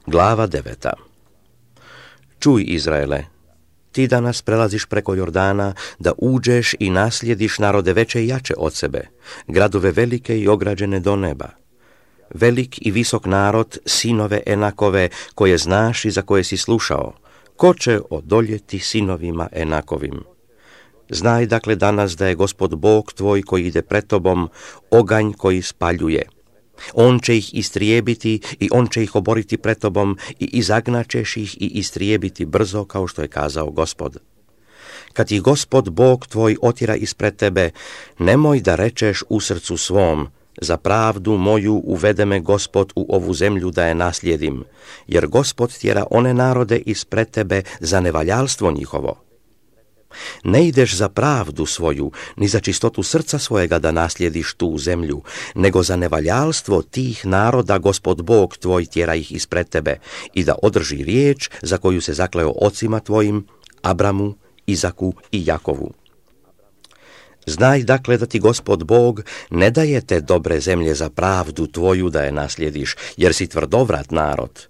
Glava 9. Čuj, Izraele, ti danas prelaziš preko Jordana da uđeš i naslijediš narode veće i jače od sebe, gradove velike i ograđene do neba. Velik i visok narod, sinove Enakove, koje znaš i za koje si slušao, ko će odoljeti sinovima Enakovim? Znaj dakle danas da je Gospod Bog tvoj koji ide pred tobom, oganj koji spaljuje. On će ih istrijebiti i on će ih oboriti pred tobom i izagnaćeš ih i istrijebiti brzo, kao što je kazao Gospod. Kad ih Gospod Bog tvoj otjera ispred tebe, nemoj da rečeš u srcu svom, za pravdu moju uvede me Gospod u ovu zemlju da je naslijedim, jer Gospod tjera one narode ispred tebe za nevaljalstvo njihovo. Ne ideš za pravdu svoju, ni za čistotu srca svojega da naslijediš tu zemlju, nego za nevaljalstvo tih naroda Gospod Bog tvoj tjera ih ispred tebe i da održi riječ za koju se zakleo ocima tvojim, Abramu, Izaku i Jakovu. Znaj dakle da ti Gospod Bog ne daje te dobre zemlje za pravdu tvoju da je naslijediš, jer si tvrdovrat narod.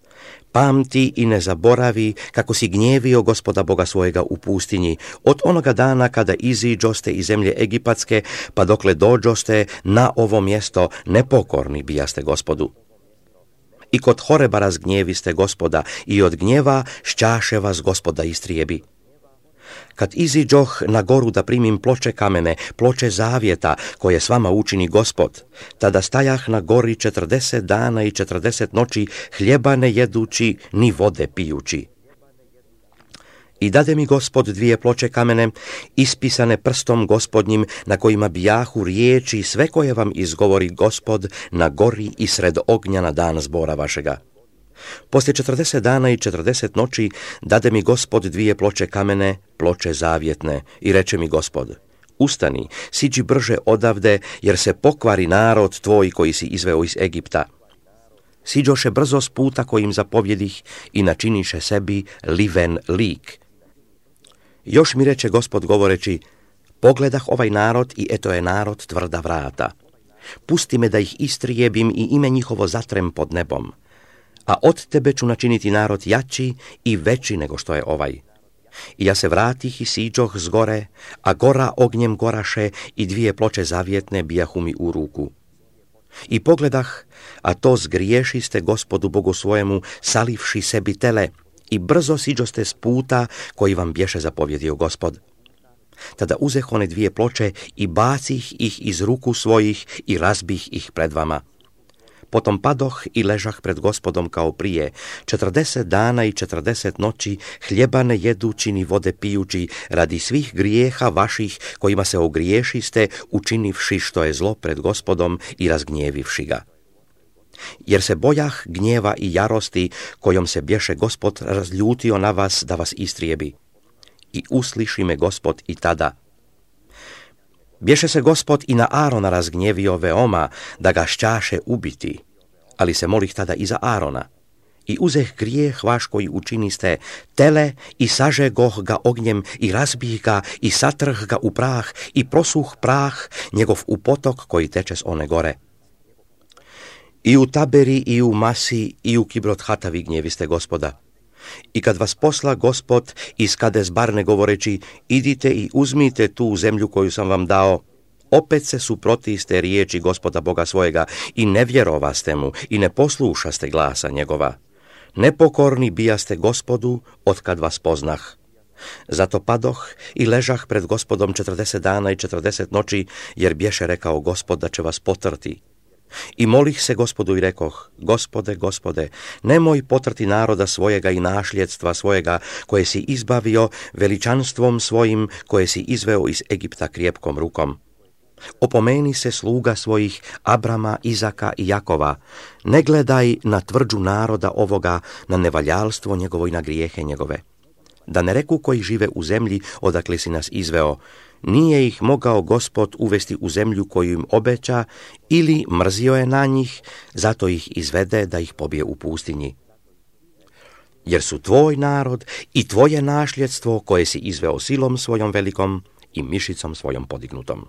Pamti i ne zaboravi kako si gnjevio Gospoda Boga svojega u pustinji, od onoga dana kada iziđoste iz zemlje Egipatske, pa dokle dođoste na ovo mjesto, nepokorni bijaste Gospodu. I kod Horeba razgnjeviste Gospoda i od gnjeva šćaše vas Gospoda istrijebi. Kad iziđoh na goru da primim ploče kamene, ploče zavjeta, koje s vama učini Gospod, tada stajah na gori 40 dana i 40 noći, hljeba ne jedući, ni vode pijući. I dade mi Gospod 2 ploče kamene, ispisane prstom Gospodnjim, na kojima bijahu riječi sve koje vam izgovori Gospod na gori i sred ognja na dan zbora vašega. Poslije 40 dana i 40 noći dade mi Gospod 2 ploče kamene, ploče zavjetne, i reče mi Gospod: ustani, siđi brže odavde, jer se pokvari narod tvoj koji si izveo iz Egipta. Siđoše brzo s puta kojim zapovjedih i načiniše sebi liven lik. Još mi reče Gospod govoreći: pogledah ovaj narod i eto je narod tvrda vrata. Pusti me da ih istrijebim i ime njihovo zatrem pod nebom. A od tebe ću načiniti narod jači i veći nego što je ovaj. I ja se vratih i siđoh s gore, a gora ognjem goraše i 2 ploče zavjetne bijahu mi u ruku. I pogledah, a to zgriješiste Gospodu Bogu svojemu, salivši sebi tele, i brzo siđoste s puta koji vam bješe zapovjedio Gospod. Tada uzeh one 2 ploče i bacih ih iz ruku svojih i razbih ih pred vama. Potom padoh i ležah pred Gospodom kao prije, 40 dana i 40 noći, hljeba ne jedući ni vode pijući, radi svih grijeha vaših kojima se ogriješiste, učinivši što je zlo pred Gospodom i razgnjevivši ga. Jer se bojah gnjeva i jarosti kojom se bješe Gospod razljutio na vas da vas istrijebi. I usliši me Gospod i tada. Bješe se Gospod i na Arona razgnjevio veoma, da ga šćaše ubiti, ali se molih tada i za Arona. I uzeh grijeh vaš koji učiniste tele i sažegoh ga ognjem i razbih ga i satrh ga u prah i prosuh prah njegov u potok koji teče s one gore. I u Taberi i u Masi i u Kibrot Hatavi gnjeviste Gospoda. I kad vas posla Gospod iz Kades Barne govoreći: idite i uzmite tu zemlju koju sam vam dao, opet se suprotiste riječi Gospoda Boga svojega i ne vjerovaste mu i ne poslušaste glasa njegova. Nepokorni bijaste Gospodu od kad vas poznah. Zato padoh i ležah pred Gospodom 40 dana i 40 noći, jer bješe rekao Gospod da će vas potrti. I molih se Gospodu i rekoh: Gospode, Gospode, nemoj potrti naroda svojega i našljedstva svojega, koje si izbavio veličanstvom svojim, koje si izveo iz Egipta krjepkom rukom. Opomeni se sluga svojih Abrama, Izaka i Jakova, ne gledaj na tvrđu naroda ovoga, na nevaljalstvo njegovo i na grijehe njegove. Da ne reku koji žive u zemlji odakle si nas izveo: nije ih mogao Gospod uvesti u zemlju koju im obeća, ili mrzio je na njih, zato ih izvede da ih pobije u pustinji. Jer su tvoj narod i tvoje našljedstvo koje si izveo silom svojom velikom i mišicom svojom podignutom.